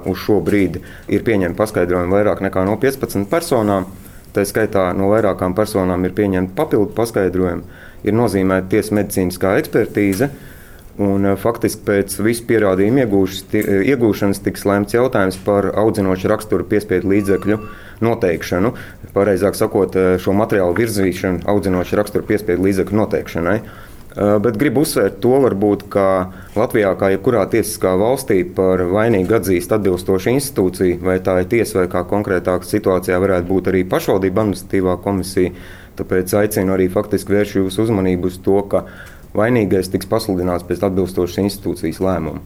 Uz šo brīdi ir pieņemti paskaidrojumi vairāk nekā no 15 personām. Tā skaitā no vairākām personām ir pieņemti papildu paskaidrojumi, ir nozīmēta tiesas medicīniskā ekspertīze. Un, faktiski pēc visu pierādījumu iegūšanas tiks lēmts jautājums par audzinošu raksturu piespiedu līdzekļu noteikšanu. Pareizāk sakot, šo materiālu virzīšanu audzinošu raksturu piespiedu līdzekļu noteikšanai. Bet gribu uzsvērt to, varbūt, ka Latvijā, kā jebkurā tiesiskā valstī, par vainīgu atzīst atbilstoša institūcija, vai tā ir tiesa, vai kā konkrētākā situācijā varētu būt arī pašvaldība administratīvā komisija. Tāpēc aicinu arī faktiski vērst jūsu uzmanību uz to, ka vainīgais tiks pasludināts pēc atbilstošas institūcijas lēmuma.